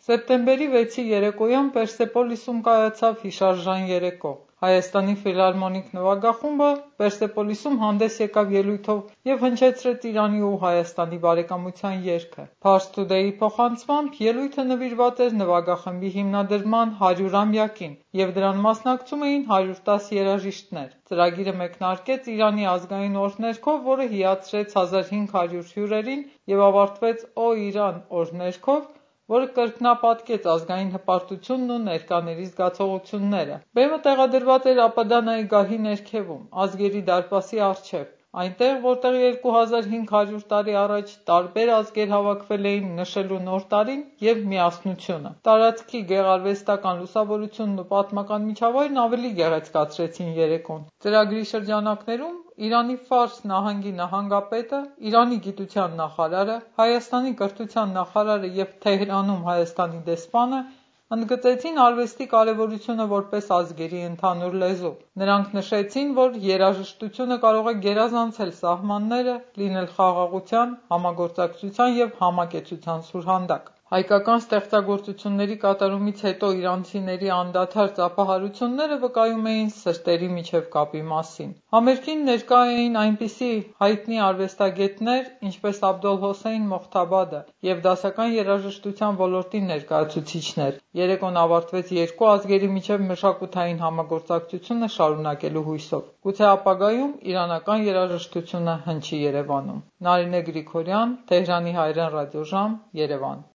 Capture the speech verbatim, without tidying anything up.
Սեպտեմբերի վեցի երեկոյան Պերսեպոլիսում կայացավ հիշարժան երեկո։ Հայաստանի ֆիլհարմոնիկ նվագախումբը Պերսեպոլիսում հանդես եկավ ելույթով և հնչեցրեց Իրանի ու Հայաստանի բարեկամության երգը։ Pars Today-ի փոխանցմամբ ելույթը նվիրված էր նվագախմբի հիմնադրման հարյուրամյակին, և դրան մասնակցում էին հարյուր տաս երաժիշտներ։ Ծրագիրը մեկնարկեց Իրանի ազգային օր ներքով, որը հիացրեց հազար հինգ հարյուր հյուրերին և ավարտվեց «Օ Իրան» օր ներքով, որը կրկնապատկեց ազգային հպարտությունն ու ներկաների զգացողությունները։ Բեմը տեղադրված էր Աբադանայի գահի ներքևում, Ազգերի դարպասի առջև, այնտեղ, որտեղ երկու հազար հինգ հարյուր տարի առաջ տարբեր ազգեր հավաքվել էին նշելու նոր տարին և միասնությունը։ Տարածքի գեղարվեստական լուսավորությունն ու պատմական միջավայրն ավելի գեղեցկացրեցին երեկոն։ Ծրագրի շրջանակներում Իրանի Ֆարս նահանգի նահանգապետը, Իրանի գիտության նախարարը, Հայաստանի կրթության նախարարը և Թեհրանում Հայաստանի դեսպանը ընդգծեցին արվեստի կարևորությունը որպես ազգերի ընդհանուր լեզու։ Նրանք նշեցին, որ երաժշտությունը կարող է գերազանցել սահմանները, լինել խաղաղության, համագործակցության և համակեցության սուրհանդակ։ Հայկական ստեղծագործությունների կատարումից հետո իրանցիների անդադար ծափահարությունները վկայում էին սրտերի միջև կապի մասին։ Համերգին ներկա էին այնպիսի հայտնի արվեստագետներ, ինչպես Աբոլհոսեյն Մողթաբադը և դասական երաժշտության ոլորտի ներկայացուցիչներ։ Երեկոն ավարտվեց երկու ազգերի միջև մշակութային համագործակցությունը շարունակելու հույսով։ Գուցե ապագայում իրանական երաժշտությունը հնչի Երևանում։ Նարինե Գրիգորյան, Թեհրանի հայրեն ռադիոժամ, Երևան։